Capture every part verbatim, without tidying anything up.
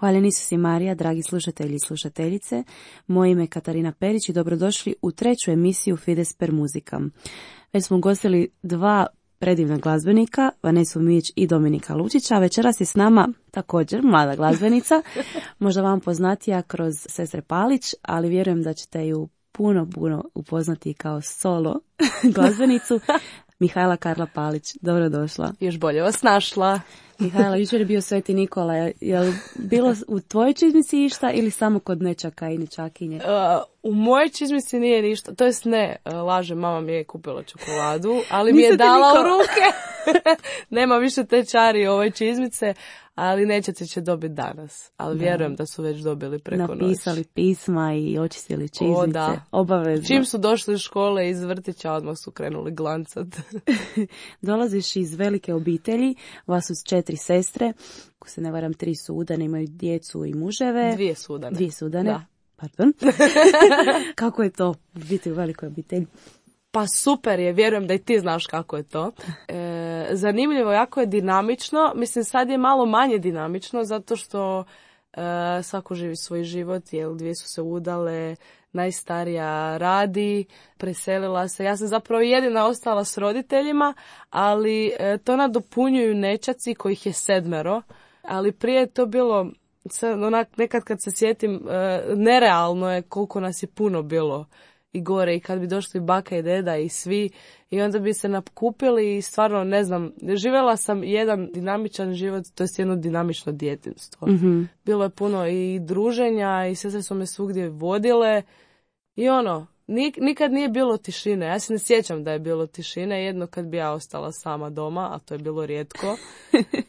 Hvaljeni Isus i Marija, dragi slušatelji i slušateljice. Moje ime je Katarina Perić i dobrodošli u treću emisiju Fides per muzikam. Već smo ugostili dva predivna glazbenika, Vanesu Mijić i Dominika Lučića. Večeras je s nama također mlada glazbenica, možda vam poznatija kroz sestre Palić, ali vjerujem da ćete ju puno, puno upoznati kao solo glazbenicu. Mihajla Karla Palić, dobrodošla. Još bolje vas našla. Mihajla, jučer je bio Sveti Nikola. Je li bilo u tvojoj čizmici išta ili samo kod nečaka i nečakinje? Uh, u mojoj čizmici nije ništa. To jest ne, laže, mama mi je kupila čokoladu, ali mi je dala u ruke. Nema više te čari ovoj čizmice, ali nećete će dobiti danas. Ali da. Vjerujem da su već dobili preko noći. Napisali pisma i očistili čizmice. O, da. Obavezno. Čim su došli iz škole iz vrtića, odmah su krenuli glancat. Dolaziš iz velike obitelji, vas su četiri sestre, ako se ne varam tri su udane, imaju djecu i muževe. Dvije su udane. Dvije su udane. Da. Pardon. Kako je to biti u velikoj obitelji? Pa super je, vjerujem da i ti znaš kako je to. E, zanimljivo, jako je dinamično. Mislim, sad je malo manje dinamično, zato što e, svako živi svoj život, jer dvije su se udale, najstarija radi, preselila se. Ja sam zapravo jedina ostala s roditeljima, ali e, to nadopunjuju nećaci kojih je sedmero. Ali prije je to bilo, onak, nekad kad se sjetim, e, nerealno je koliko nas je puno bilo i gore, i kad bi došli baka i deda i svi, i onda bi se nakupili i stvarno, ne znam, živjela sam jedan dinamičan život, to je jedno dinamično djetinjstvo. Mm-hmm. Bilo je puno i druženja i sestre su me svugdje vodile i ono, nik, nikad nije bilo tišine. Ja se ne sjećam da je bilo tišine, jedno kad bi ja ostala sama doma, a to je bilo rijetko.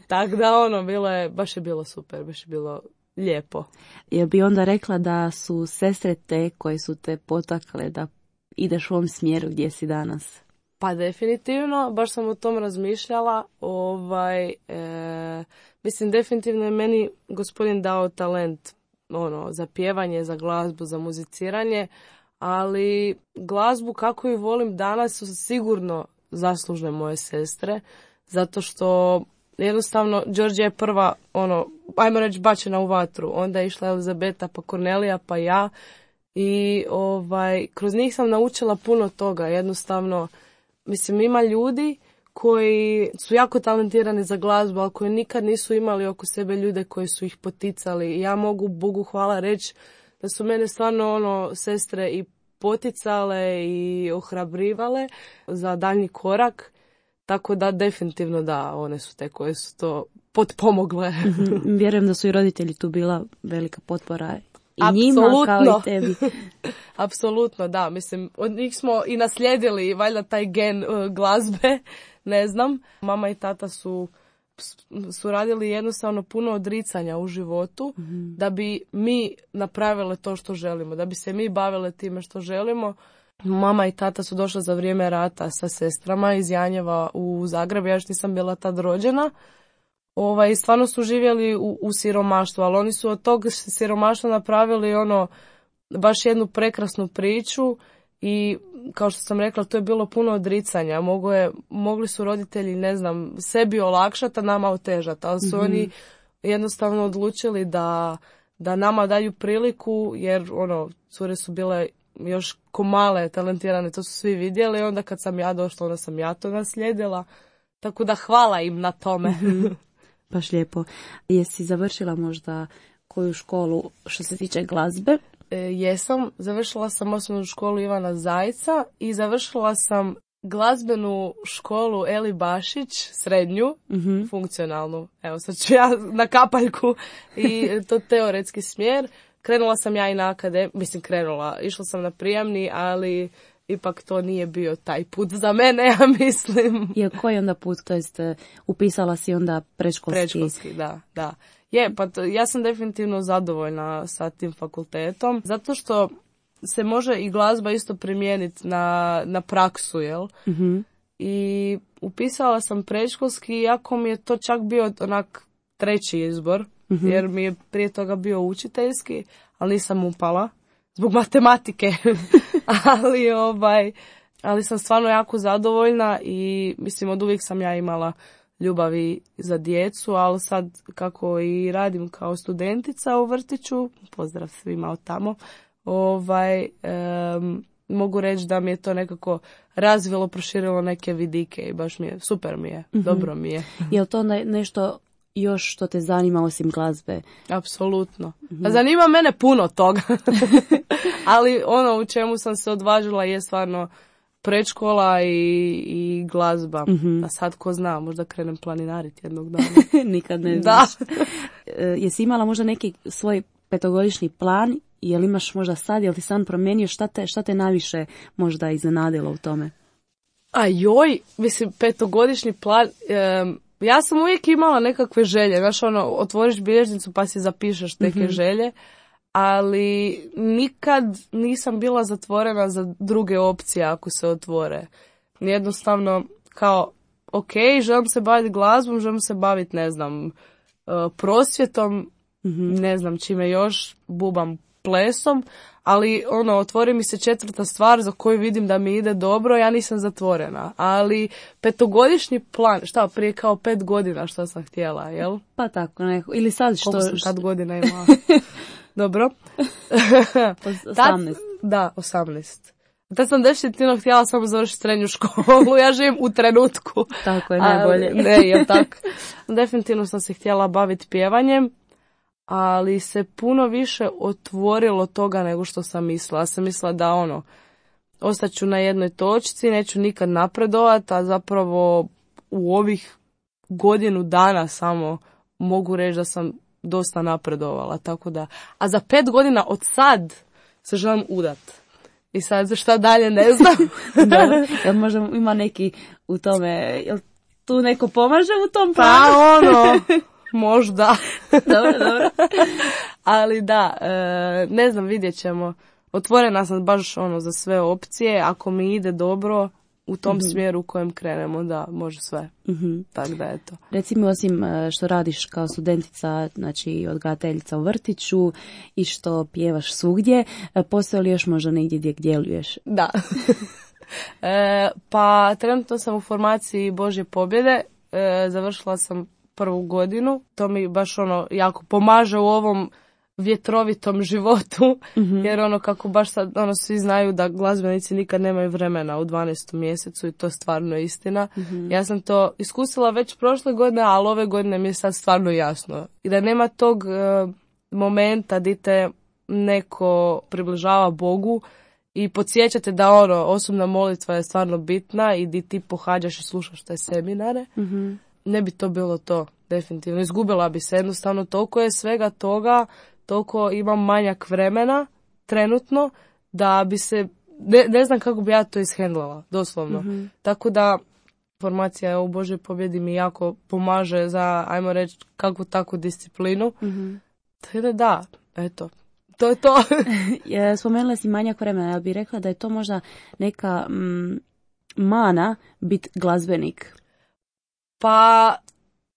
Tako da ono, bilo je, baš je bilo super, baš je bilo lijepo. Jel bi onda rekla da su sestre te koje su te potakle da ideš u ovom smjeru gdje si danas? Pa definitivno, baš sam o tom razmišljala. Ovaj, e, mislim, definitivno je meni gospodin dao talent ono, za pjevanje, za glazbu, za muziciranje, ali glazbu kako ju volim danas su sigurno zaslužne moje sestre, zato što jednostavno, Đorđe je prva, ono, ajmo reći, bačena u vatru. Onda je išla Elizabeta, pa Kornelija, pa ja. I ovaj, kroz njih sam naučila puno toga. Jednostavno, mislim, ima ljudi koji su jako talentirani za glazbu, ali koji nikad nisu imali oko sebe ljude koji su ih poticali. I ja mogu, Bogu hvala, reći da su mene stvarno, ono, sestre i poticale i ohrabrivale za daljnji korak. Tako da definitivno da, one su te koje su to potpomogle. Mm-hmm. Vjerujem da su i roditelji tu bila velika potpora i Apsolutno. Njima kao i tebi. Apsolutno, da. Mislim, od njih smo i naslijedili valjda taj gen uh, glazbe, ne znam. Mama i tata su, su radili jednostavno puno odricanja u životu, mm-hmm. da bi mi napravile to što želimo, da bi se mi bavile time što želimo. Mama i tata su došla za vrijeme rata sa sestrama iz Janjeva u Zagreb, ja još nisam bila tad rođena. Ovaj, stvarno su živjeli u, u siromaštvu, ali oni su od tog siromaštva napravili ono, baš jednu prekrasnu priču i kao što sam rekla, to je bilo puno odricanja. Mogu je, mogli su roditelji, ne znam, sebi olakšati, a nama otežati, ali su mm-hmm. oni jednostavno odlučili da, da nama daju priliku, jer ono, cure su bile još ko male, talentirane, to su svi vidjeli. Onda kad sam ja došla, onda sam ja to naslijedila. Tako da hvala im na tome. Mm-hmm. Baš lijepo. Jesi završila možda koju školu što se tiče glazbe? E, jesam. Završila sam osnovnu školu Ivana Zajca i završila sam glazbenu školu Eli Bašić, srednju, mm-hmm. funkcionalnu. Evo sad ću ja na kapaljku i to teoretski smjer. Krenula sam ja i na akademiju, mislim krenula, išla sam na prijamni, ali ipak to nije bio taj put za mene, ja mislim. I koji onda put, to jest upisala si onda predškolski? Predškolski, da, da. Je, pa to, ja sam definitivno zadovoljna sa tim fakultetom, zato što se može i glazba isto primijeniti na, na praksu, jel? Mm-hmm. I upisala sam predškolski, iako mi je to čak bio onak treći izbor. Mm-hmm. Jer mi je prije toga bio učiteljski, ali nisam upala zbog matematike. ali ovaj, ali sam stvarno jako zadovoljna i mislim od uvijek sam ja imala ljubavi za djecu, ali sad kako i radim kao studentica u vrtiću, pozdrav svima od tamo, ovaj, um, mogu reći da mi je to nekako razvilo, proširilo neke vidike i baš mi je, super mi je, mm-hmm. dobro mi je. Je li to ne, nešto još što te zanima osim glazbe? Apsolutno. Mm-hmm. Zanima mene puno toga, ali ono u čemu sam se odvažila je stvarno predškola i, i glazba. Mm-hmm. A sad ko zna, možda krenem planinariti jednog dana. Nikad ne znaš. Jesi imala možda neki svoj petogodišnji plan? Jel imaš možda sad, jel ti sam promijenio, šta te, šta te najviše možda iznenadilo u tome? A joj, mislim, petogodišnji plan, um, ja sam uvijek imala nekakve želje, znaš ono, otvoriš bilježnicu pa si zapišeš neke mm-hmm. želje, ali nikad nisam bila zatvorena za druge opcije ako se otvore. Jednostavno, kao, ok, želim se baviti glazbom, želim se baviti, ne znam, uh, prosvjetom, mm-hmm. ne znam čime još, bubam plesom, ali ono, otvori mi se četvrta stvar za koju vidim da mi ide dobro, ja nisam zatvorena. Ali petogodišnji plan, šta, prije kao pet godina što sam htjela, jel? Pa tako, neko. Ili sad što... Koliko sam tad godina imala? Dobro. osamnaest. Tad, da, osamnaest. Tad sam definitivno htjela samo završiti srednju školu, ja živim u trenutku. Tako je najbolje. Ali, ne, je tako. Definitivno sam se htjela baviti pjevanjem, ali se puno više otvorilo toga nego što sam mislila. Ja sam mislila da ono, ostaću na jednoj točci, neću nikad napredovati, a zapravo u ovih godinu dana samo mogu reći da sam dosta napredovala. Tako da, a za pet godina od sad se želim udat. I sad šta dalje ne znam. Da, jel možda ima neki u tome, jel tu neko pomaže u tom planu? Pa ono... Možda. Dobro, dobro. Ali da, e, ne znam, vidjet ćemo. Otvorena sam baš ono za sve opcije. Ako mi ide dobro u tom mm-hmm. smjeru u kojem krenemo, da, može sve. Mm-hmm. Tako da je to. Reci mi, osim što radiš kao studentica, znači odgajateljica u vrtiću i što pjevaš svugdje, postoji li još možda negdje gdje djeluješ? Da. e, pa trenutno sam u formaciji Božje pobjede. E, završila sam prvu godinu, to mi baš ono jako pomaže u ovom vjetrovitom životu, mm-hmm. jer ono kako baš sad ono svi znaju da glazbenici nikad nemaju vremena u dvanaestom mjesecu i to je stvarno istina. Mm-hmm. Ja sam to iskusila već prošle godine, ali ove godine mi je sad stvarno jasno. I da nema tog uh, momenta di te neko približava Bogu i podsjećate da ono, osobna molitva je stvarno bitna i di ti pohađaš i slušaš te seminare. Mm-hmm. Ne bi to bilo to, definitivno. Izgubila bi se jednostavno, toliko je svega toga, toliko imam manjak vremena trenutno, da bi se, ne, ne znam kako bi ja to ishendlala, doslovno. Mm-hmm. Tako da formacija u Božoj pobjedi mi jako pomaže za, ajmo reći, kakvu takvu disciplinu. Mm-hmm. Tako da da, eto, to je to. Spomenula si manjak vremena, ja bih rekla da je to možda neka mm, mana biti glazbenik. Pa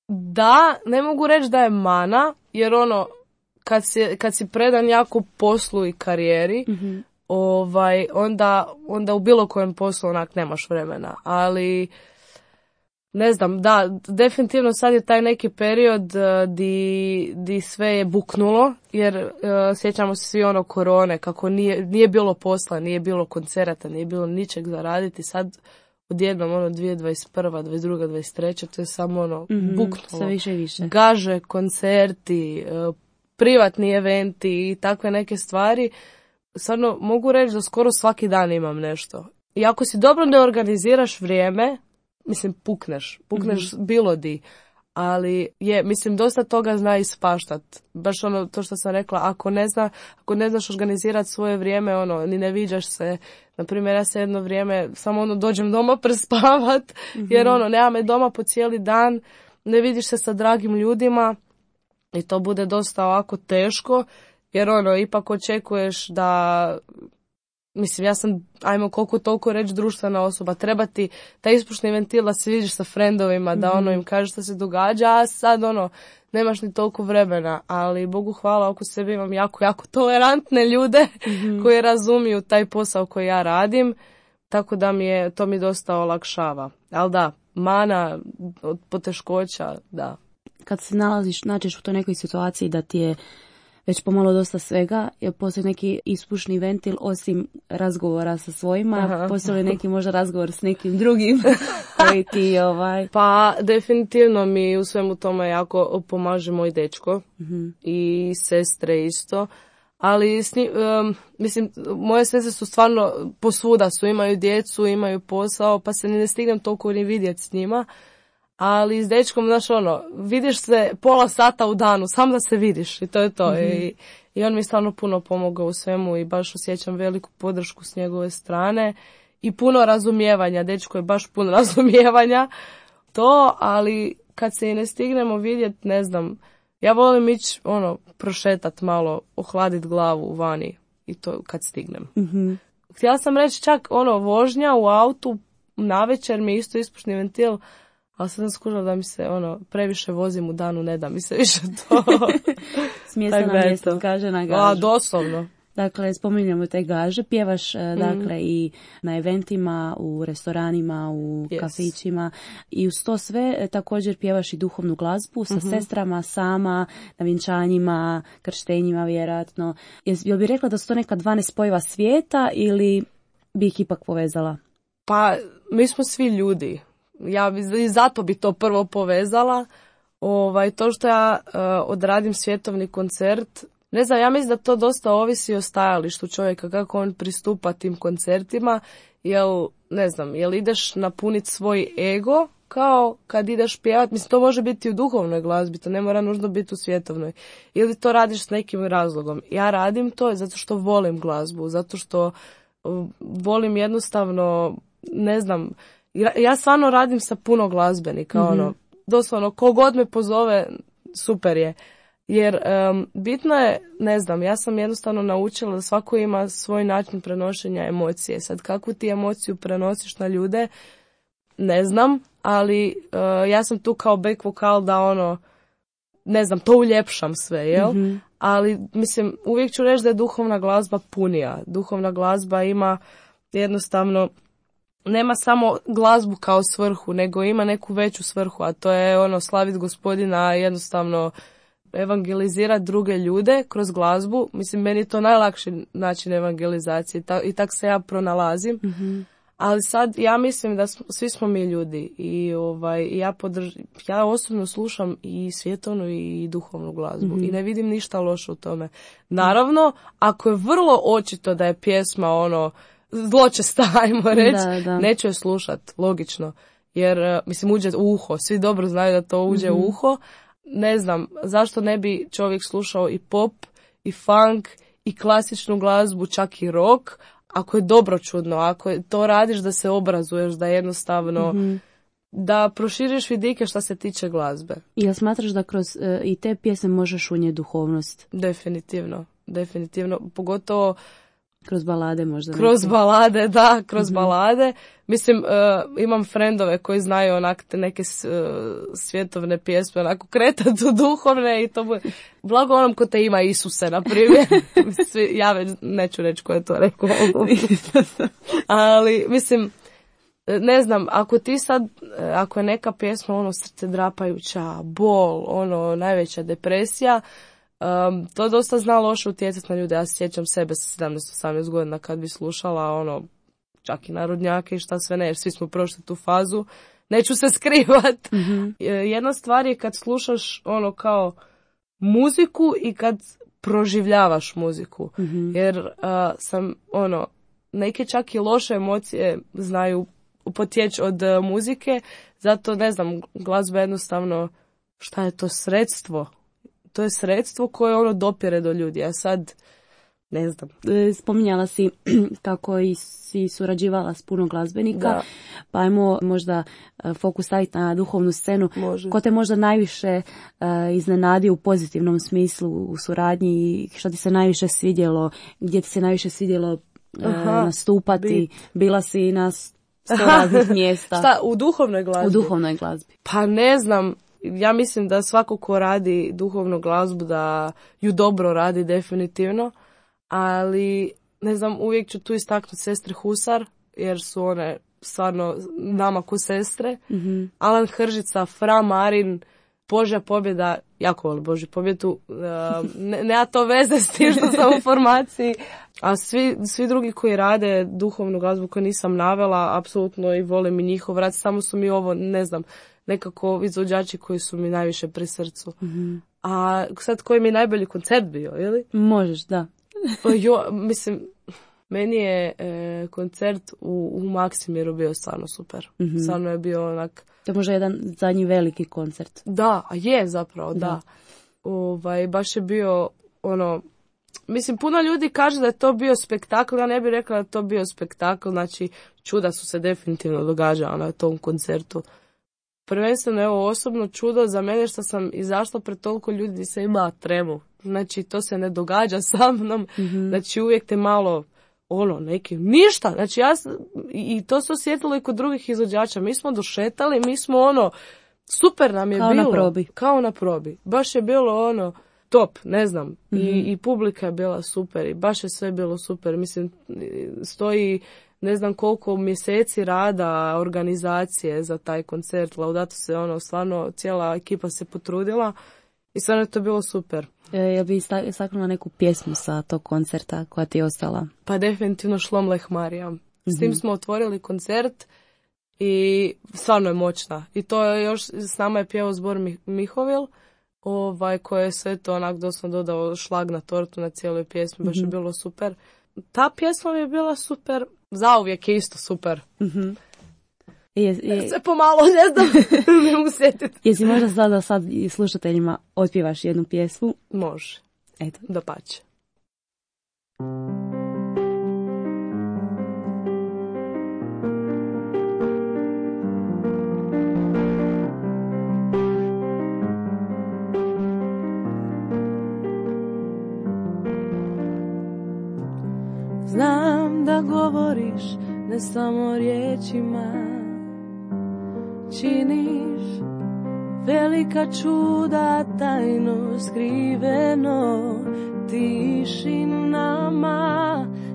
da, ne mogu reći da je mana, jer ono, kad si, kad si predan jako poslu i karijeri, mm-hmm. ovaj, onda, onda u bilo kojem poslu onak nemaš vremena, ali ne znam, da, definitivno sad je taj neki period uh, di, di sve je buknulo, jer uh, sjećamo se svi ono korone, kako nije, nije bilo posla, nije bilo koncerata, nije bilo ničeg za raditi, sad odjednom ono dvije tisuće dvadeset prva, dvadeset druga, dvadeset treća to je samo ono mm-hmm, buknulo. Sve više i više. Gaže, koncerti, uh, privatni eventi i takve neke stvari. Stvarno mogu reći da skoro svaki dan imam nešto. I ako si dobro ne organiziraš vrijeme, mislim, pukneš. Pukneš mm-hmm. bilo di. Ali je, mislim, dosta toga zna ispaštat. Baš ono, to što sam rekla, ako ne zna, ako ne znaš organizirati svoje vrijeme, ono, ni ne viđaš se. Naprimjer, ja se jedno vrijeme samo ono dođem doma prespavat, mm-hmm. jer ono, nema me doma po cijeli dan, ne vidiš se sa dragim ljudima i to bude dosta ovako teško, jer ono, ipak očekuješ da... Mislim, ja sam, ajmo koliko toliko reći, društvena osoba. Treba ti taj ispušni ventil da se vidiš sa frendovima, da ono im kažeš što se događa, a sad ono, nemaš ni toliko vremena. Ali Bogu hvala, oko sebe imam jako, jako tolerantne ljude mm-hmm. koji razumiju taj posao koji ja radim, tako da mi je, to mi dosta olakšava. Ali da, mana, od poteškoća, da. Kad se nalaziš, nađeš u toj nekoj situaciji da ti je već pomalo dosta svega, je postoji neki ispušni ventil osim razgovora sa svojima, Aha. postoji neki možda razgovor s nekim drugim koji ti ovaj... Pa definitivno mi u svemu tome jako pomaže moj dečko mm-hmm. i sestre isto, ali s njim, um, mislim, moje sestre su stvarno posvuda su, imaju djecu, imaju posao, pa se ni ne stignem toliko ni vidjeti s njima. Ali s dečkom, znaš, ono, vidiš se pola sata u danu, sam da se vidiš i to je to. Mm-hmm. I, I on mi stvarno puno pomogao u svemu i baš osjećam veliku podršku s njegove strane i puno razumijevanja. Dečko je baš puno razumijevanja to, ali kad se i ne stignemo vidjeti, ne znam, ja volim ići, ono, prošetat malo, ohladit glavu vani i to kad stignem. Mm-hmm. Htjela sam reći čak, ono, vožnja u autu, navečer mi isto ispušni ventil, ali sam skužila da mi se, ono, previše vozim u danu, ne da mi se više to. Smjesta na mjesto, kaže na gažu. A, doslovno. Dakle, spominjamo te gaže, pjevaš, mm. dakle, i na eventima, u restoranima, u yes. kafićima i uz to sve također pjevaš i duhovnu glazbu sa mm-hmm. sestrama, sama, na vjenčanjima, krštenjima, vjerojatno. Jel bi rekla da su to neka dva nespojiva svijeta ili bi ih ipak povezala? Pa, mi smo svi ljudi. Ja bi, i zato bi to prvo povezala. Ovaj, to što ja uh, odradim svjetovni koncert, ne znam, ja mislim da to dosta ovisi o stajalištu čovjeka, kako on pristupa tim koncertima, jel, ne znam, jel ideš napuniti svoj ego, kao kad ideš pjevat, mislim, to može biti u duhovnoj glazbi, to ne mora nužno biti u svjetovnoj, ili to radiš s nekim razlogom. Ja radim to zato što volim glazbu, zato što uh, volim jednostavno, ne znam, ja stvarno radim sa puno glazbenika, mm-hmm. ono, doslovno, kogod me pozove, super je. Jer um, bitno je, ne znam, ja sam jednostavno naučila da svako ima svoj način prenošenja emocije. Sad, kakvu ti emociju prenosiš na ljude, ne znam, ali uh, ja sam tu kao back vokal da ono, ne znam, to uljepšam sve, jel? Mm-hmm. Ali, mislim, uvijek ću reći da je duhovna glazba punija. Duhovna glazba ima jednostavno, nema samo glazbu kao svrhu, nego ima neku veću svrhu, a to je ono slaviti Gospodina, jednostavno evangelizirati druge ljude kroz glazbu. Mislim, meni je to najlakši način evangelizacije Ta, i tak se ja pronalazim. Mm-hmm. Ali sad ja mislim da smo, svi smo mi ljudi i ovaj, ja, podrž, ja osobno slušam i svjetovnu i duhovnu glazbu mm-hmm. i ne vidim ništa loše u tome. Naravno, ako je vrlo očito da je pjesma ono zločesta, ajmo reći, da, da. neću je slušat, logično. Jer, mislim, uđe u uho. Svi dobro znaju da to uđe mm-hmm. u uho. Ne znam, zašto ne bi čovjek slušao i pop, i funk, i klasičnu glazbu, čak i rock, ako je dobro čudno, ako je, to radiš da se obrazuješ, da jednostavno, mm-hmm. da proširiš vidike što se tiče glazbe. I ja smatraš da kroz uh, i te pjesme možeš unijeti duhovnost? Definitivno, definitivno, pogotovo kroz balade možda. Kroz neke. balade, da, kroz mm-hmm. balade. Mislim, uh, imam frendove koji znaju onak te neke uh, svjetovne pjesme, onako kretat u duhovne i to bude, blago onom ko te ima Isuse, na primjer. Svi, ja već neću reći ko je to rekao. Ali, mislim, ne znam, ako ti sad, ako je neka pjesma, ono, srce drapajuća, bol, ono, najveća depresija, Um, to dosta zna loše utjecati na ljude. Ja se sjećam sebe sa sedamnaest osamnaest godina kad bi slušala ono, čak i narodnjake i šta sve ne, jer svi smo prošli tu fazu. Neću se skrivat. Mm-hmm. Jedna stvar je kad slušaš ono kao muziku i kad proživljavaš muziku. Mm-hmm. Jer uh, sam ono, neke čak i loše emocije znaju potjeći od uh, muzike, zato ne znam, glazba jednostavno, šta je to sredstvo? To je sredstvo koje ono dopire do ljudi, a sad ne znam. Spominjala si kako i si surađivala s puno glazbenika, da. Pa ajmo možda fokus staviti na duhovnu scenu. Može. Ko te možda najviše uh, iznenadio u pozitivnom smislu u suradnji i što ti se najviše svidjelo, gdje ti se najviše svidjelo uh, Aha, nastupati, bit. Bila si na sto raznih mjesta. Šta, u duhovnoj glazbi? U duhovnoj glazbi. Pa ne znam. Ja mislim da svako ko radi duhovnu glazbu da ju dobro radi definitivno, ali ne znam, uvijek ću tu istaknuti sestre Husar jer su one stvarno nama ko sestre. Mm-hmm. Alan Hržica, Fra Marin, Božja pobjeda, jako volim Božju pobjedu, uh, ne, nema to veze s tim što sam u formaciji, a svi, svi drugi koji rade duhovnu glazbu koju nisam navela, apsolutno i volim i njihov rad, samo su mi ovo, ne znam, nekako izvođači koji su mi najviše pri srcu. Mm-hmm. A sad koji mi je najbolji koncert bio, ili? Možeš, da. Pa jo, mislim, meni je e, koncert u, u Maksimiru bio stvarno super. Mm-hmm. Stvarno je bio onak... To je možda jedan zadnji veliki koncert. Da, a je zapravo, da. da. Ovaj, baš je bio, ono... Mislim, puno ljudi kaže da je to bio spektakl, ja ne bih rekla da je to bio spektakl, znači čuda su se definitivno događala na tom koncertu. Prvenstveno, evo, osobno čudo za mene što sam izašla pred toliko ljudi i se ima tremu. Znači, to se ne događa sa mnom. Mm-hmm. Znači, uvijek te malo, ono, neki, ništa. Znači, ja, i to se osjetilo i kod drugih izvođača. Mi smo došetali, mi smo, ono, super nam je kao bilo. Kao na probi. Kao na probi. Baš je bilo, ono, top, ne znam. Mm-hmm. I, I publika je bila super i baš je sve bilo super. Mislim, stoji... ne znam koliko mjeseci rada organizacije za taj koncert. Laudato se, ono, stvarno cijela ekipa se potrudila i stvarno je to bilo super. E, ja bi istaknula neku pjesmu sa tog koncerta koja ti je ostala? Pa definitivno Šlom Leh Marija. Mm-hmm. S tim smo otvorili koncert i stvarno je moćna. I to je još, s nama je pjevao zbor Mihovil, ovaj, koji je sve to onak doslovno dodao šlag na tortu na cijeloj pjesmi. Baš mm-hmm. je bilo super. Ta pjesma mi je bila super. Zauvijek je isto super. Mm-hmm. Je, je... Sve pomalo, ne znam, ne mogu sjetiti. Jesi možda sad da sad i slušateljima otpjevaš jednu pjesmu? Može. Eto. Dapače. Znam da govoriš ne samo riječima, činiš velika čuda tajno skriveno tišinama,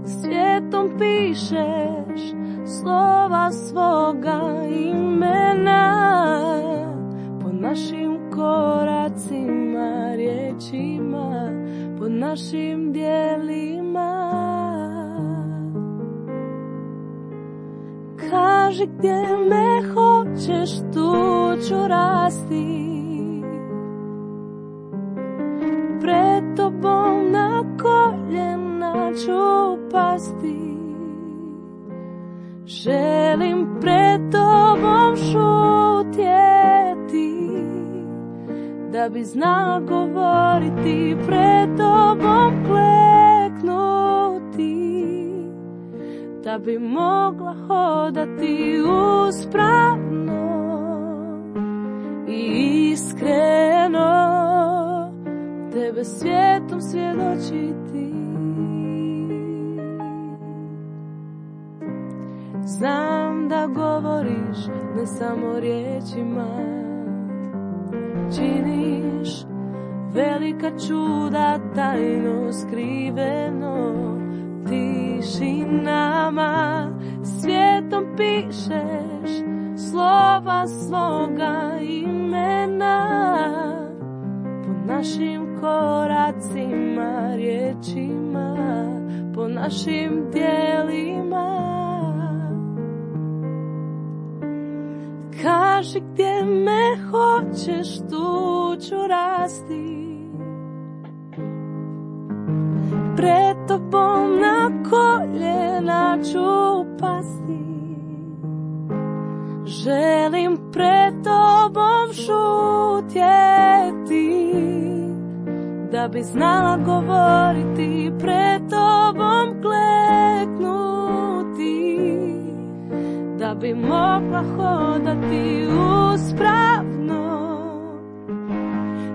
svijetom pišeš slova svoga imena, po našim koracima, riječima, po našim djelima. Kaži gdje me hoćeš, tu ću rasti, pred tobom na koljena ću pasti. Želim pred tobom šutjeti, da bi znala govoriti, pred tobom kleknuti, da bi mogla hodati uspravno i iskreno, tebe svijetom svjedočiti. Znam da govoriš ne samo riječima, činiš velika čuda tajno skriveno tišinama, svijetom pišeš slova svoga imena, po našim koracima, riječima, po našim djelima. Kaži gdje me hoćeš, tu ću rasti, pred tobom na koljena ću pasti. Želim pred tobom šutjeti, da bi znala govoriti, pred tobom kleknuti, da bi mogla hodati uspravno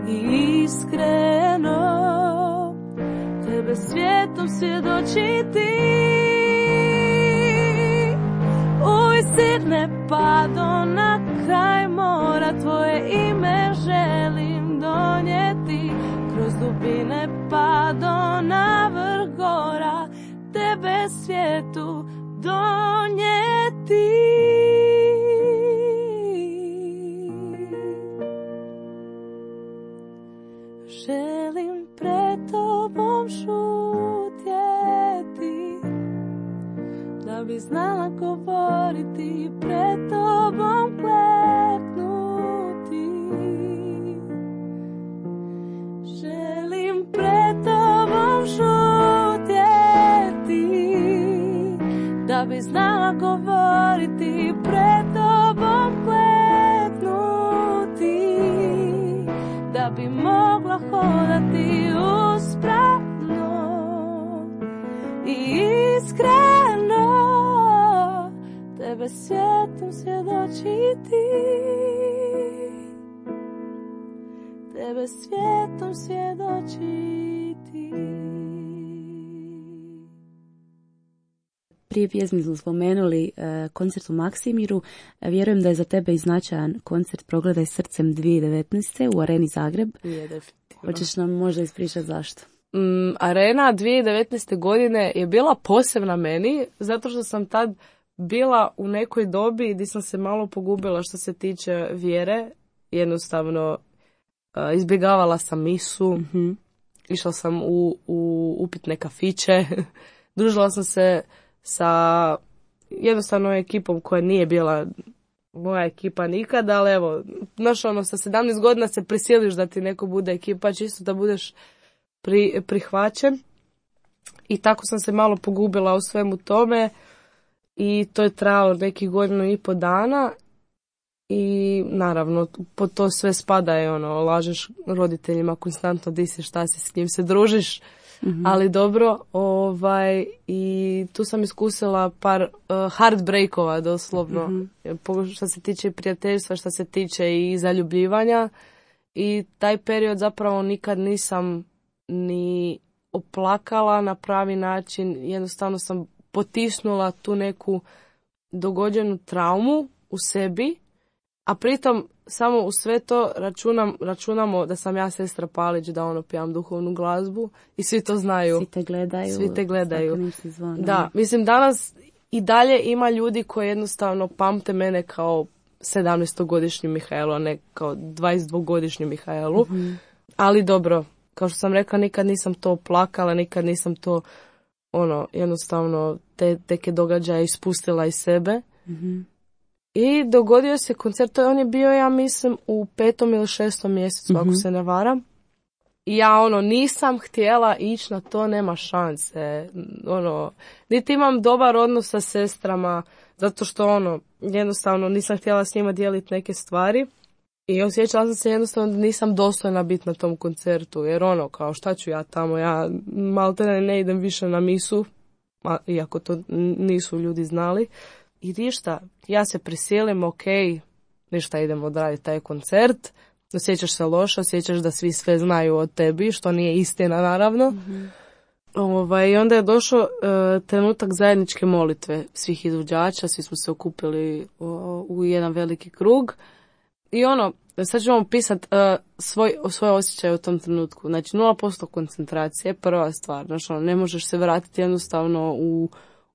i iskreno, tebe svijetom svjedočiti. Uistine pado na kraj mora, tvoje ime želim donijeti, kroz dubine pado na vrh gora, tebe svijetu donijeti. želim pred tobom šutjeti, da bi znala govoriti, pred tobom kleknuti. Želim pred tobom šutjeti, da bi znala govoriti, pred tobom kleknuti, da bi mogla hodati uspravno i iskreno, tebe svijetom svjedočiti, tebe svijetom svjedočiti. Prije pjesmi smo spomenuli uh, koncert u Maksimiru. Vjerujem da je za tebe i značajan koncert Progledaj srcem dvije tisuće devetnaeste. u Areni Zagreb. Je, definitivno. Hoćeš nam možda ispričati zašto? Mm, Arena dvije tisuće devetnaeste. godine je bila posebna meni, zato što sam tad bila u nekoj dobi gdje sam se malo pogubila što se tiče vjere. Jednostavno uh, izbjegavala sam misu, Mm-hmm. išla sam u, u upitne kafiće, družila sam se sa jednostavno ekipom koja nije bila moja ekipa nikada, ali evo, znaš ono, sa sedamnaest godina se prisiliš da ti neko bude ekipa, čisto da budeš pri, prihvaćen. I tako sam se malo pogubila u svemu tome i to je trajalo nekih godinu i po dana i naravno, po to sve spada je ono, lažeš roditeljima konstantno di si, šta si, s kim se družiš. Mm-hmm. Ali dobro, ovaj, i tu sam iskusila par uh, heartbreakova doslovno, mm-hmm. što se tiče prijateljstva, što se tiče i zaljubljivanja, i taj period zapravo nikad nisam ni oplakala na pravi način, jednostavno sam potisnula tu neku dogođenu traumu u sebi, a pritom samo u sve to računam, računamo da sam ja sestra Palić, da ono pijam duhovnu glazbu i svi to znaju. Svi te gledaju. Svi te gledaju. Zvona. Da, mislim danas i dalje ima ljudi koji jednostavno pamte mene kao sedamnaestogodišnju Mihajlu, a ne kao dvadesetdvogodišnju Mihajlu. Mm-hmm. Ali dobro, kao što sam rekla, nikad nisam to plakala, nikad nisam to ono, jednostavno te teke događaje ispustila iz sebe. Mm-hmm. I dogodio se koncert, on je bio, ja mislim, u petom ili šestom mjesecu, mm-hmm. ako se ne varam. I ja, ono, nisam htjela ići na to, nema šanse. Ono, niti imam dobar odnos sa sestrama, zato što, ono, jednostavno nisam htjela s njima dijeliti neke stvari. I osjećala sam se jednostavno da nisam dostojna biti na tom koncertu, jer ono, kao šta ću ja tamo, ja maltene ne idem više na misu, iako to nisu ljudi znali. I ništa, ja se prisilim, ok, ništa, idemo odraditi taj koncert, osjećaš se loše, osjećaš da svi sve znaju o tebi, što nije istina naravno. Mm-hmm. Ovaj, i onda je došao uh, trenutak zajedničke molitve svih izvođača, svi smo se okupili u, u jedan veliki krug. I ono, sad ću vam pisati uh, svoj, svoj osjećaj u tom trenutku. Znači, nula posto koncentracije, prva stvar. Znači, ono, ne možeš se vratiti jednostavno u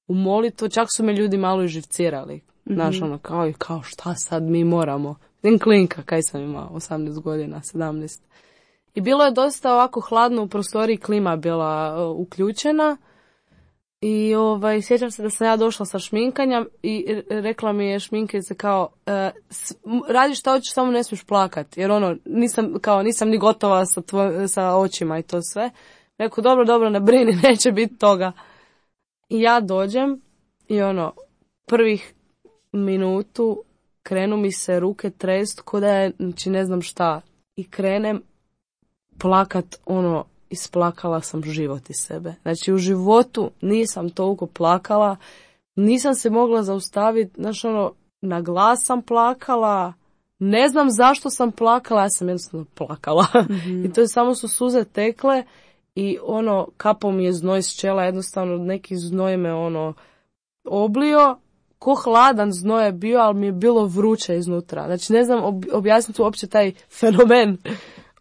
u molitvu, čak su me ljudi malo i živcirali. Mm-hmm. Znaš, ono, kao, kao šta sad mi moramo. Idem klinka, kaj sam imao, osamnaest godina, sedamnaest. I bilo je dosta ovako hladno u prostoriji, klima bila uh, uključena. I ovaj, sjećam se da sam ja došla sa šminkanjem i rekla mi je šminkica kao, uh, radi šta hoćeš, samo ne smiješ plakati. Jer ono, nisam, kao, nisam ni gotova sa, tvoj, sa očima i to sve. Rekao, dobro, dobro, ne brini, neće biti toga. I ja dođem i ono, prvih minutu krenu mi se ruke trest ko da je, znači ne znam šta. I krenem plakat, ono, isplakala sam život iz sebe. Znači u životu nisam toliko plakala, nisam se mogla zaustaviti, znači ono, na glas sam plakala, ne znam zašto sam plakala, ja sam jednostavno plakala. Mm-hmm. I to je samo su suze tekle. I ono, kapom mi je znoj s čela, jednostavno neki znoj me ono oblio, ko hladan znoj je bio, ali mi je bilo vruće iznutra. Znači ne znam ob- objasniti uopće taj fenomen.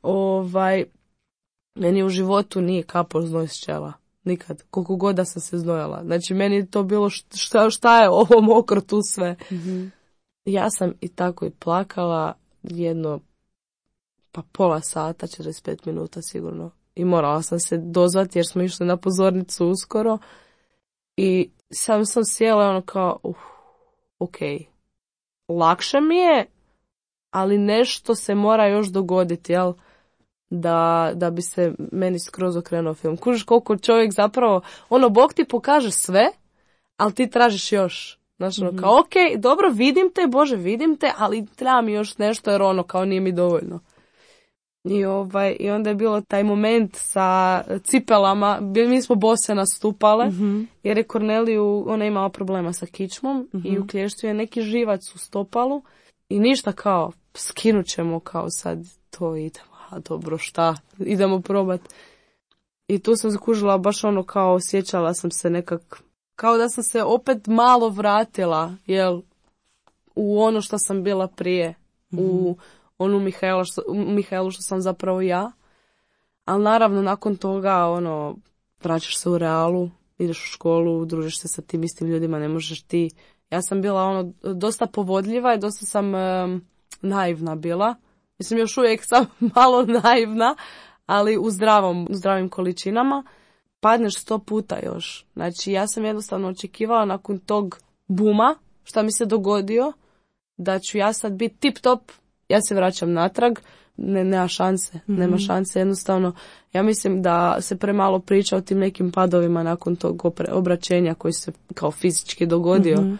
Ovaj, meni u životu nije kapao znoj s čela. Nikad. Koliko god da sam se znojala. Znači meni je to bilo šta, šta je ovo mokro tu sve. Mm-hmm. Ja sam i tako i plakala jedno pa pola sata, četrdeset pet minuta sigurno. I morala sam se dozvati jer smo išli na pozornicu uskoro. I sam sam sjela ono kao, uh, ok, lakše mi je, ali nešto se mora još dogoditi, jel? Da, da bi se meni skroz okrenuo film. Kužiš koliko čovjek zapravo, ono, Bog ti pokaže sve, ali ti tražiš još. Znači, ono, kao, ok, dobro, vidim te, Bože, vidim te, ali treba mi još nešto, jer ono, kao nije mi dovoljno. I, ovaj, i onda je bilo taj moment sa cipelama, mi smo bose nastupale, mm-hmm. jer je Korneliju, ona imala problema sa kičmom mm-hmm. i u klještu je neki živac u stopalu i ništa kao, skinut ćemo kao sad to idemo, a dobro šta, idemo probat. I tu sam zakužila baš ono kao, osjećala sam se nekak, kao da sam se opet malo vratila, jel, u ono što sam bila prije, mm-hmm. u onu Mihaela što, Mihaelu što sam zapravo ja. Ali naravno nakon toga ono, vraćaš se u realu, ideš u školu, družiš se sa tim istim ljudima, ne možeš ti. Ja sam bila ono dosta povodljiva i dosta sam um, naivna bila. Mislim još uvijek sam malo naivna, ali u zdravom, u zdravim količinama. Padneš sto puta još. Znači ja sam jednostavno očekivala nakon tog buma, šta mi se dogodio, da ću ja sad biti tip top. Ja se vraćam natrag, ne, nema šanse, mm-hmm. nema šanse, jednostavno, ja mislim da se premalo priča o tim nekim padovima nakon tog opre, obraćenja koji se kao fizički dogodio, mm-hmm.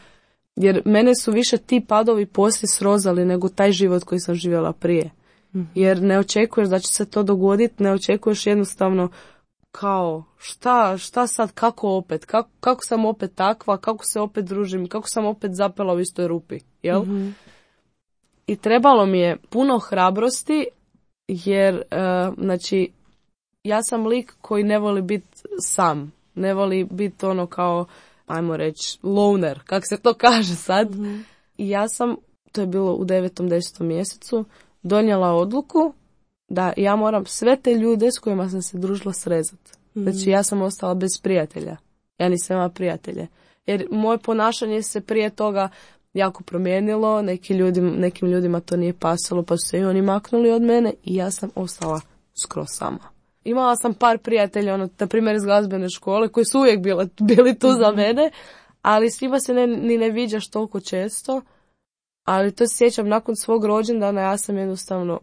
jer mene su više ti padovi poslije srozali nego taj život koji sam živjela prije, mm-hmm. jer ne očekuješ da će se to dogoditi, ne očekuješ jednostavno kao šta, šta sad, kako opet, kako, kako sam opet takva, kako se opet družim, kako sam opet zapela u istoj rupi, jel? Mm-hmm. I trebalo mi je puno hrabrosti jer, uh, znači, ja sam lik koji ne voli biti sam. Ne voli biti ono kao, ajmo reći, loner, kak se to kaže sad. Mm-hmm. I ja sam, to je bilo u devetom, desetom mjesecu, donijela odluku da ja moram sve te ljude s kojima sam se družila srezati. Mm-hmm. Znači, ja sam ostala bez prijatelja. Ja nisam imala prijatelje. Jer moje ponašanje se prije toga jako promijenilo, neki ljudi, nekim ljudima to nije pasalo, pa su se i oni maknuli od mene i ja sam ostala skroz sama. Imala sam par prijatelja, ono, na primjer iz glazbene škole, koji su uvijek bili, bili tu za mene, ali s njima se ne, ni ne viđaš toliko često, ali to se sjećam nakon svog rođendana, ja sam jednostavno,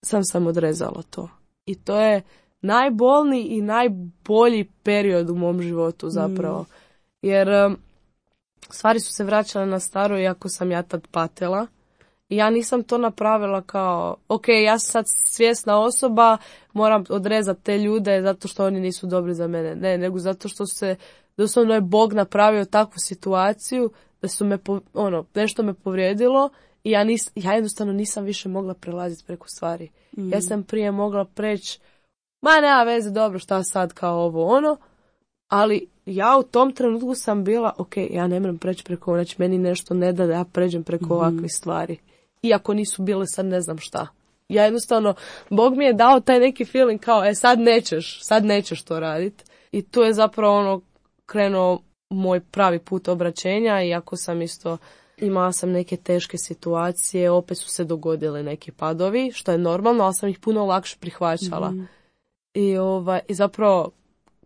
sam sam odrezala to. I to je najbolniji i najbolji period u mom životu zapravo, mm. jer stvari su se vraćale na staro iako sam ja tad patila. I ja nisam to napravila kao, ok, ja sam sad svjesna osoba, moram odrezati te ljude zato što oni nisu dobri za mene. Ne, nego zato što se, doslovno je Bog napravio takvu situaciju da su me, ono, nešto me povrijedilo i ja, nis, ja jednostavno nisam više mogla prelaziti preko stvari. Mm. Ja sam prije mogla preći, ma nema veze, dobro, šta sad kao ovo, ono, ali ja u tom trenutku sam bila, ok, ja ne moram preći preko, znači meni nešto ne da da ja pređem preko mm-hmm. ovakvih stvari. Iako nisu bile sad ne znam šta. Ja jednostavno, Bog mi je dao taj neki feeling kao, e sad nećeš, sad nećeš to raditi. I tu je zapravo ono krenuo moj pravi put obraćenja, iako sam isto, imala sam neke teške situacije, opet su se dogodile neki padovi, što je normalno, ali sam ih puno lakše prihvaćala. Mm-hmm. I, ovaj, i zapravo,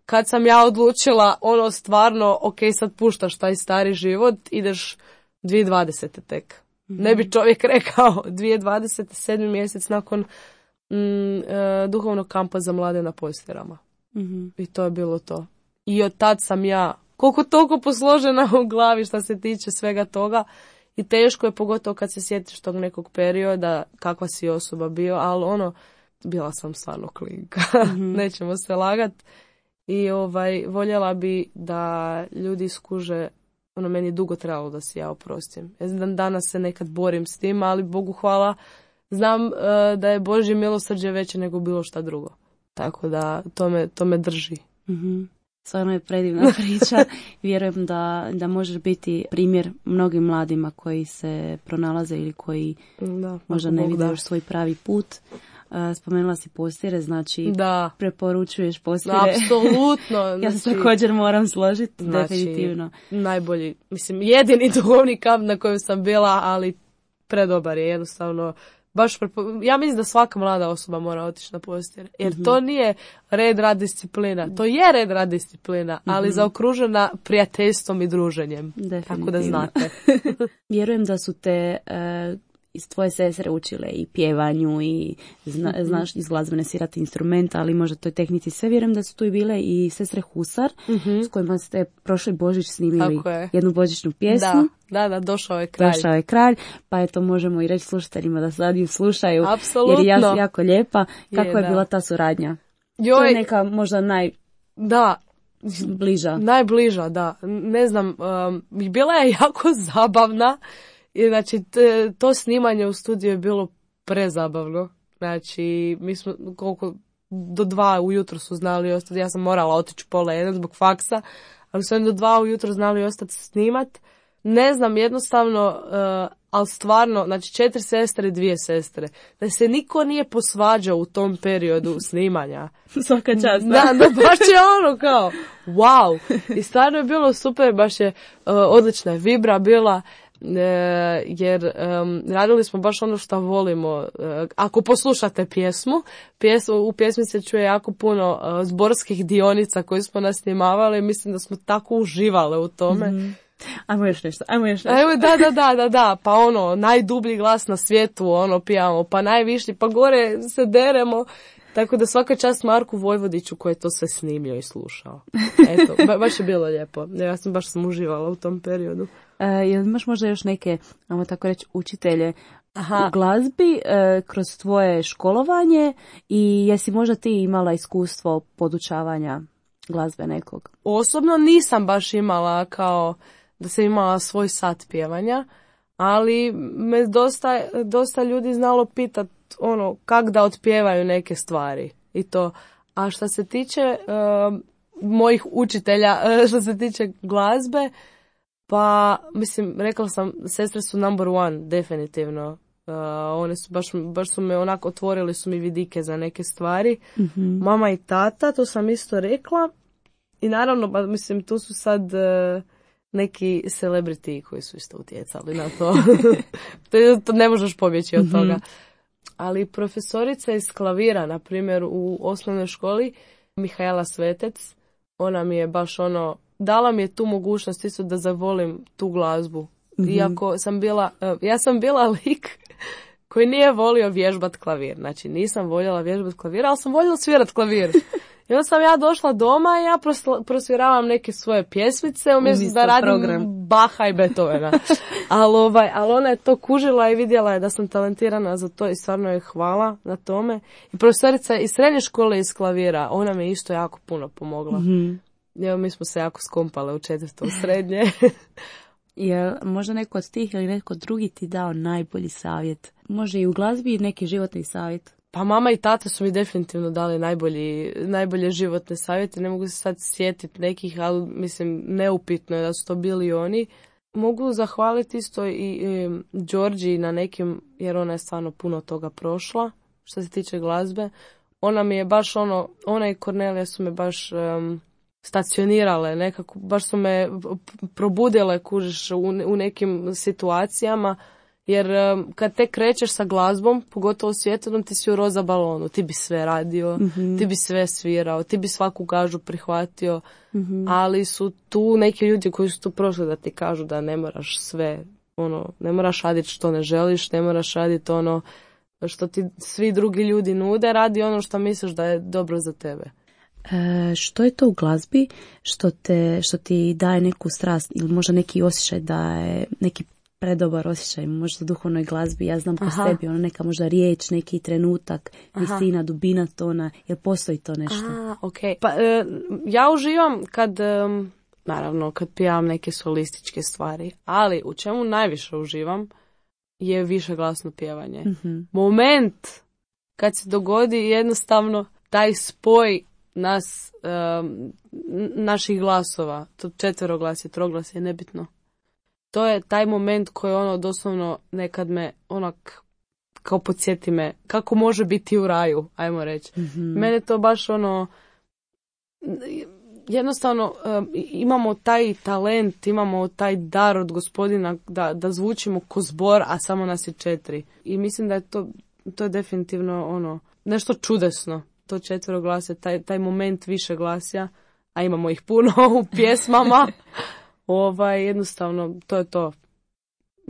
kad sam ja odlučila, ono stvarno, ok, sad puštaš taj stari život, ideš dvije tisuće dvadesete tek. Mm-hmm. Ne bi čovjek rekao dvije tisuće dvadesete sedmi mjesec nakon mm, e, duhovnog kampa za mlade na Postirama. Mm-hmm. I to je bilo to. I od tad sam ja koliko toliko posložena u glavi što se tiče svega toga. I teško je, pogotovo kad se sjetiš tog nekog perioda, kakva si osoba bio, ali ono, bila sam stvarno klinka. Mm-hmm. Nećemo se lagat. I ovaj, voljela bi da ljudi skuže, ono, meni je dugo trebalo da se ja oprostim. Ja znam, danas se nekad borim s tim, ali Bogu hvala, znam uh, da je Božje milosrđe veće nego bilo šta drugo. Tako da to me, to me drži. Mm-hmm. Stvarno je predivna priča. Vjerujem da, da možeš biti primjer mnogim mladima koji se pronalaze ili koji da, možda ne vide još svoj pravi put. Uh, spomenula si Postire, znači da. Preporučuješ Postire. Apsolutno. Ja se znači, također moram složiti, znači, definitivno. Najbolji, mislim, jedini duhovni kamp na kojem sam bila, ali predobar je, jednostavno baš prepo... ja mislim da svaka mlada osoba mora otići na postir, jer mm-hmm. to nije red rad disciplina, to je red rad disciplina, ali mm-hmm. zaokružena prijateljstvom i druženjem, tako da znate. Vjerujem da su te uh, iz tvoje sestre učile i pjevanju i zna, mm-hmm. znaš iz glazbene svirati instrumenta, ali možda toj tehnici sve. Vjerujem da su tu i bile i sestre Husar, mm-hmm. s kojima ste prošli Božić snimili jednu božićnu pjesmu. Da, da, da, došao je kralj. Došao je kralj, pa eto možemo i reći slušateljima da sad ju slušaju. Apsolutno. Jer je jako lijepa. Kako je, je bila ta suradnja? Joj, to je neka možda naj... Da. Bliža. Najbliža, da. Ne znam, um, bila je jako zabavna. I znači, t, to snimanje u studiju je bilo prezabavno. Znači, mi smo koliko do dva ujutro su znali ostati. Ja sam morala otići pola jedan zbog faksa, ali su oni do dva ujutro znali ostati snimat. Ne znam, jednostavno, uh, ali stvarno, znači četiri sestre i dvije sestre. Da se niko nije posvađao u tom periodu snimanja. Svaka čast. Da, da, baš je ono kao, wow. I stvarno je bilo super, baš je uh, odlična je vibra bila. E, jer um, radili smo baš ono što volimo. E, ako poslušate pjesmu, pjesmu, u pjesmi se čuje jako puno uh, zborskih dionica koje smo nasnimavali. Mislim da smo tako uživale u tome. Mm-hmm. Ajmo još nešto, ajmo još nešto. Ajmo, da, da, da, da, da, pa ono, najdublji glas na svijetu, ono, pijamo, pa najviši, pa gore se deremo. Tako da svaka čast Marku Vojvodiću koji je to sve snimio i slušao. Eto, ba, baš je bilo lijepo. Ja sam baš sam uživala u tom periodu. E, jel imaš možda još neke, ajmo tako reći, učitelje Aha. u glazbi e, kroz tvoje školovanje i jesi možda ti imala iskustvo podučavanja glazbe nekog? Osobno nisam baš imala kao da sam imala svoj sat pjevanja, ali me dosta, dosta ljudi znalo pitat ono kak da otpjevaju neke stvari i to. A što se tiče uh, mojih učitelja, uh, što se tiče glazbe, pa mislim, rekla sam, sestre su number one, definitivno. Uh, one su baš, baš su me onako otvorili su mi vidike za neke stvari. Mm-hmm. Mama i tata, to sam isto rekla. I naravno, ba, mislim, tu su sad uh, neki celebrity koji su isto utjecali na to. to, to ne možeš pobjeći od toga. Ali profesorica iz klavira, na primjer, u osnovnoj školi, Mihaela Svetec, ona mi je baš ono, dala mi je tu mogućnost isto da zavolim tu glazbu. Mm-hmm. Iako sam bila, uh, ja sam bila lik koji nije volio vježbat klavir. Znači, nisam voljela vježbat klavir, ali sam voljela svirat klavir. I onda sam ja došla doma i ja prosla, prosviravam neke svoje pjesmice umjesto da radim program. Baha i Beethovena. ali, ovaj, ali ona je to kužila i vidjela je da sam talentirana za to i stvarno je hvala na tome. I profesorica iz srednje škole iz klavira, ona me isto jako puno pomogla. Mm-hmm. Evo, mi smo se jako skompale u četvrtom srednje. Je možda neko od tih ili neko drugi ti dao najbolji savjet? Može i u glazbi neki životni savjet? Pa mama i tata su mi definitivno dali najbolji, najbolje životne savjete. Ne mogu se sad sjetiti nekih, ali mislim neupitno je da su to bili oni. Mogu zahvaliti isto i, i Đorđi na nekim, jer ona je stvarno puno toga prošla što se tiče glazbe. Ona mi je baš ono, ona i Kornelija su me baš um, stacionirale, nekako, baš su me probudile, kužiš, u, u nekim situacijama. Jer um, kad te krećeš sa glazbom, pogotovo svjetovnom, ti si u roza balonu, ti bi sve radio, mm-hmm. ti bi sve svirao, ti bi svaku gažu prihvatio, mm-hmm. ali su tu neki ljudi koji su tu prošli da ti kažu da ne moraš sve, ono, ne moraš raditi što ne želiš, ne moraš raditi ono što ti svi drugi ljudi nude, radi ono što misliš da je dobro za tebe. E, što je to u glazbi što, te, što ti daje neku strast ili možda neki osjećaj da je neki predobar osjećaj, možda u duhovnoj glazbi, ja znam po sebi, ono neka možda riječ, neki trenutak, visina, dubina tona, jer postoji to nešto. Aha, okay. Pa e, ja uživam kad, e, naravno, kad pijavam neke solističke stvari, ali u čemu najviše uživam je višeglasno pjevanje. Mm-hmm. Moment kad se dogodi jednostavno taj spoj nas, e, naših glasova, to četveroglasje, troglasje, nebitno. To je taj moment koji ono doslovno nekad me onak kao podsjeti me kako može biti u raju, ajmo reći. Mm-hmm. Mene to baš ono jednostavno um, imamo taj talent, imamo taj dar od Gospodina da, da zvučimo ko zbor, a samo nas je četiri. I mislim da je to to je definitivno ono, nešto čudesno. To četveroglasje, taj, taj moment više glasja, a imamo ih puno u pjesmama, ovaj, jednostavno, to je to.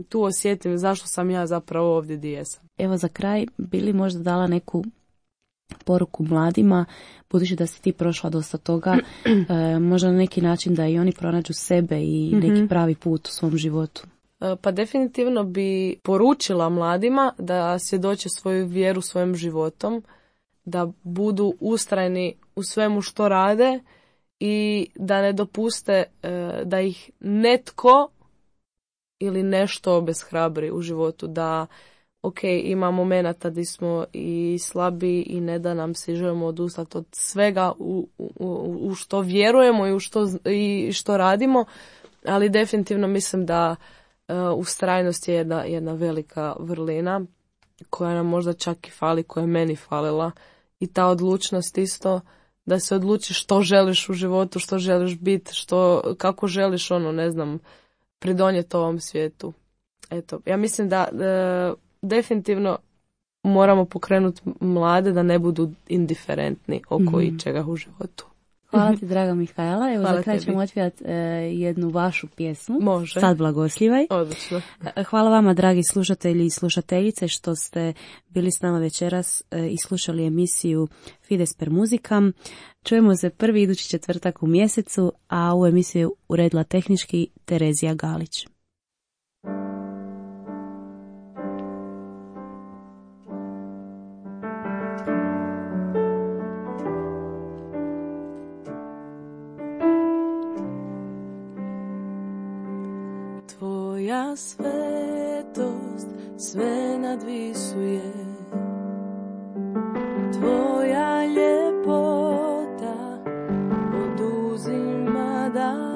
Tu osjetim zašto sam ja zapravo ovdje gdje jesam. Evo za kraj, bi li možda dala neku poruku mladima, budući da si ti prošla dosta toga, e, možda na neki način da i oni pronađu sebe i neki mm-hmm. pravi put u svom životu? E, pa definitivno bi poručila mladima da svjedoče svoju vjeru svojim životom, da budu ustrajni u svemu što rade i da ne dopuste e, da ih netko ili nešto obeshrabri u životu, da ok, ima momenata gdje smo i slabi i ne da nam se želimo odustati od svega u, u, u što vjerujemo i u što, i što radimo, ali definitivno mislim da uh, ustrajnost je jedna, jedna velika vrlina koja nam možda čak i fali, koja je meni falila, i ta odlučnost isto, da se odlučiš što želiš u životu, što želiš biti, što, kako želiš ono, ne znam, pridonijeti ovom svijetu. Eto, ja mislim da e, definitivno moramo pokrenuti mlade da ne budu indiferentni oko mm-hmm. ičega u životu. Hvala ti, draga Mihajla. Evo, Hvala za kraj ćemo otpjevati e, jednu vašu pjesmu. Može. Sad blagosljivaj. Odlično. Hvala vama, dragi slušatelji i slušateljice, što ste bili s nama večeras e, i slušali emisiju Fides per Musicam. Čujemo se prvi idući četvrtak u mjesecu, a ovu emisiju uredila tehnički Terezija Galić. Tvoja svetost sve nadvisuje, tvoja ljepota oduzima dah,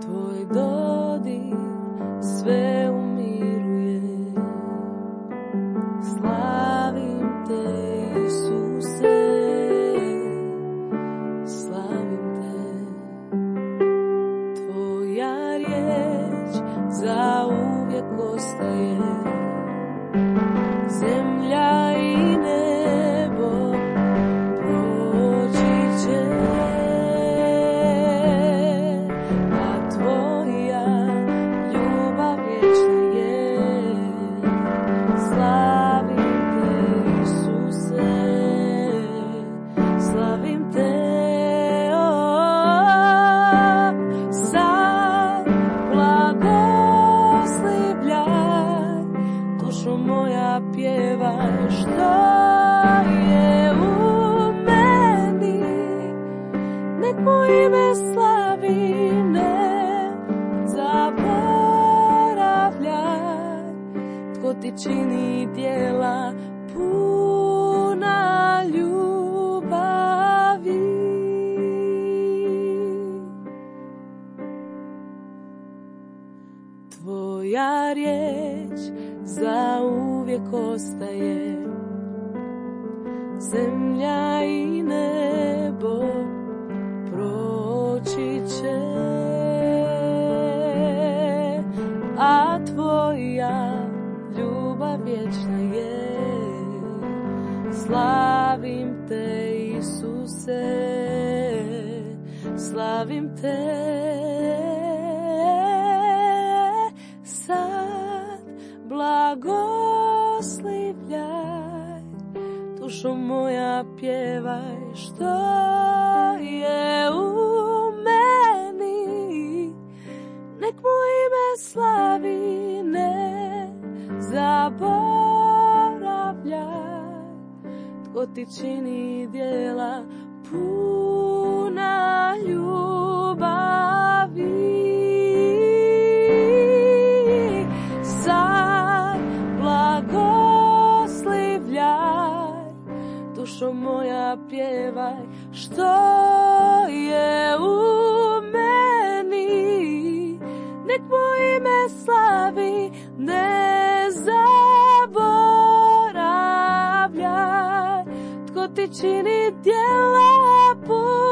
tvoj dodir sve umiruje. Slavim te, Isuse, slavim te. Tvoja riječ zauvijek ostaje, zemlja i nebo proći će, a tvoja ljubav vječna je. Slavim te, Isuse, slavim te. O, sad blagoslivljaj, dušo moja pjevaj što je u meni, nek moje ime slavi, ne zaboravljaj, tko ti čini djela puna ljubavi. Tvoja riječ zauvijek ostaje, zemlja i nebo proći će, a tvoja ljubav vječna je. Slavim te, Isuse, slavim te. Sad blagoslivljaj, dušo moja pjevaj što je u meni, nek moje ime slavi, ne zaboravljaj, tko ti čini djela puna ljubavi. Sad blagoslivljaj, dušo moja pjevaj što je u meni, nek moje ime slavi, ne zaboravljaj, tko ti čini djela puna